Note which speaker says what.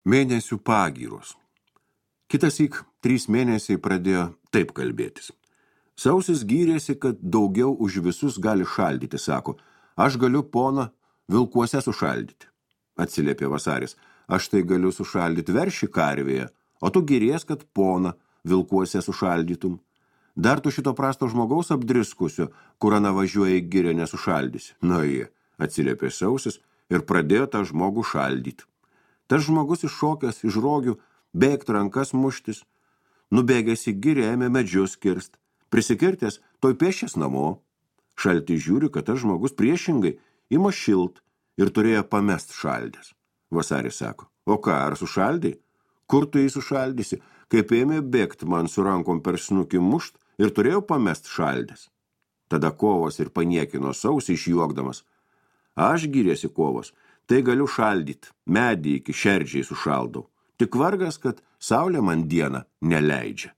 Speaker 1: Mėnesių pagyros. Kitassyk 3 mėnesiai pradėjo taip kalbėtis. Sausis gyrėsi, kad daugiau už visus gali šaldyti, sako, aš galiu poną vilkuose sušaldyti. Atsiliepė Vasaris, aš tai galiu sušaldyti veršį karvėje, o tu gyries, kad poną vilkuose sušaldytum. Dar tu šito prasto žmogaus apdriskusio, kur ana važiuoja į girę nesušaldysi. Na jie, atsiliepė Sausis ir pradėjo tą žmogų šaldyti. Tas žmogus iššokęs iš rogių, bėgt rankas muštis, nubėgęs į girę ėmė medžius kirst, prisikirtęs toj pėšęs namo. Šaltis žiūri, kad tas žmogus priešingai ima šilt ir turėjo pamest šaldęs. Vasaris sako, o ką, ar sušaldai? Kur tu jį sušaldysi, kaip ėmė bėgt man su rankom per snukį mušt ir turėjau pamest šaldęs. Tada Kovas ir paniekino Sausį išjuokdamas. Aš gyrėsi Kovas, tai galiu šaldyt, medį iki šerdžiai sušaldau. Tik vargas, kad saulė man dieną neleidžia.